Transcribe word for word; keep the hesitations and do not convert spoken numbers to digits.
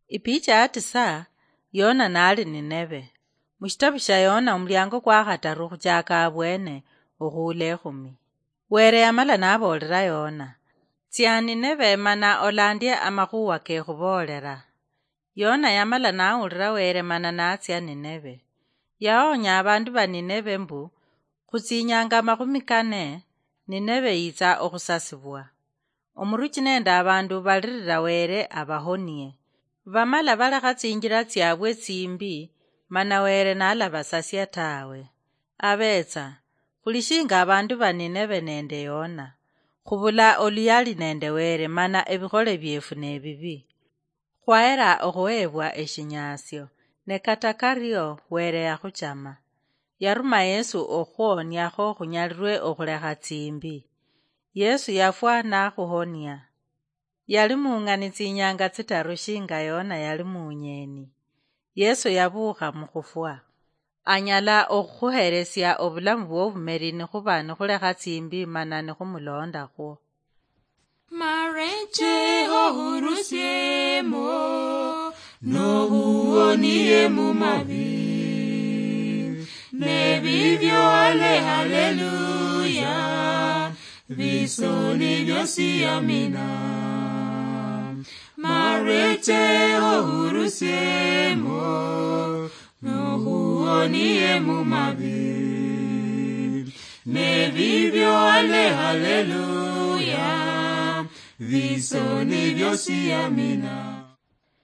Ipicha ya tisa, Yona nali Nineve. Mushitabu sha Yona, omuliango kwa khataru khuchaka abwene, okhuula ekhumi. Were yamala naboolera Yona, "Tsia Nineve mana olandie amakhuwa kekhuboolera." Yona yamala nawulira Were mana natsia Nineve. Yaoonya abandu ba Nineve mbu, "Khutsinyanga amakhumi kane, Nineve yitsa okhusasibwa." Omuruchi nende abandu balirira Were abahonie. Bamala balekha tsinjira tsiabwe tsimbi, mana Were nalabasasia tawe. Abetsa, khuli shinga abandu ba Nineve nende Yona, khubula oluyali nende Were mana ebikhole biefu nebibi. Khwahera okhuhebwa eshinyasio, ne kata kario Were yakhuchama. Yaruma Yesu okhuhoniakho khunyalirwe okhulekha tsimbi. Yesu yafwa nakhuhonia. Yali mung'ani tsinyanga tsitaru shinga Yona yali munyeni. Yesu yabuukha mukhufwa. Anyala okhukhuheresia obulamu bwobumeri nikhuba nikhulekha tsimbi mana nikhumulondakhwo. Mareche ohurusiemo, nohuonie mumabi. Nebibyo ale haleluya, bisoni byosi amina. Mareche ohurusiemo, nohuonie mumabi. Nebibyo ale haleluya, bisoni byosi amina.